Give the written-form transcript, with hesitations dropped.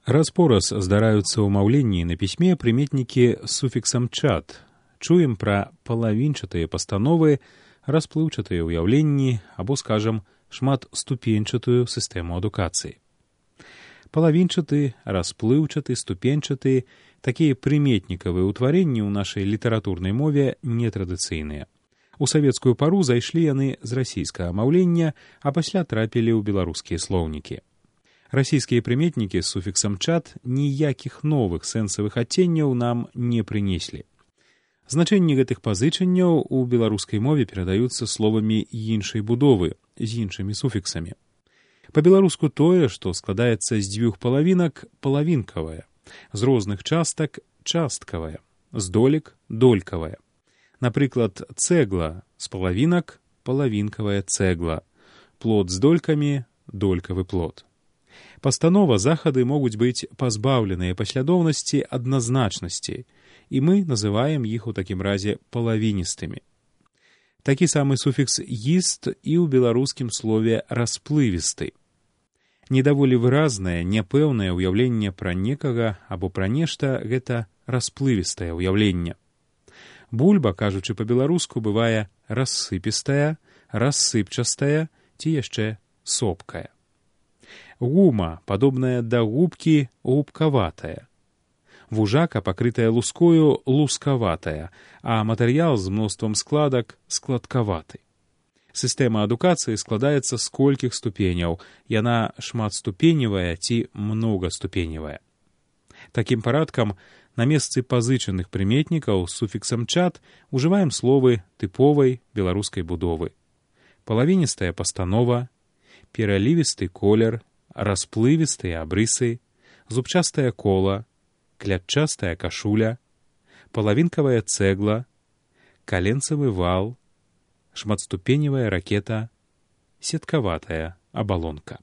Раз-пораз здараюцца ў маўленні на пісьме прыметнікі з суфіксам «чат». Чуем пра палавінчатыя пастановы, расплыўчатыя ўяўленні або, скажам, шматступеньчатую сістэму адукацыі. Палавінчаты, расплыўчаты, ступеньчаты — такія прыметнікавыя ўтварэнні ў нашай літаратурнай мове нетрадыцыйныя. У савецкую пару зайшлі яны з расійскага маўлення, а пасля трапілі ў беларускія слоўнікі. Расійскія прыметнікі з суфіксам «чат» ніякіх новых сэнсавых адценняў нам не прынеслі. Значэнні гэтых пазычанняў у беларускай мове перадаюцца словамі іншай будовы, з іншымі суфіксамі. Па-беларуску тое, што складаецца з дзвюх палавінак, палавінкавае, з розных частак — часткавае, з долек — долькавае. Напрыклад, цэгла з палавінак — палавінкавая цэгла, плод з долькамі — долькавы плод. Пастанова, захады могуць быць пазбаўленыя паслядоўнасці адназначнасці, і мы называем іх у такім разе палавіністымі. Такі самы суфікс «іст» і ў беларускім слове «расплывісты». Недаволі выразнае, няпэўнае ўяўленне пра некага або пра нешта — гэта расплывістае ўяўленне. Бульба, кажучы па-беларуску, бывае рассыпістая, рассыпчастая ці яшчэ сопкая. Гума, падобная да губкі, губкаватая. Вужака, пакрытая лускою, лускаватая, а матэрыял з мноствам складак — складкаваты. Сістэма адукацыі складаецца з колькіх ступеняў, яна шматступеневая ці многаступеневая. Такім парадкам, на месцы пазычаных прыметнікаў з суфіксам «чат» ужываем словы тыповай беларускай будовы. Палавіністая пастанова, пералівісты колер, расплывістыя абрысы, зубчастае кола, клятчастая кашуля, палавінкавая цэгла, каленцавы вал, шматступеневая ракета, сеткаватая абалонка.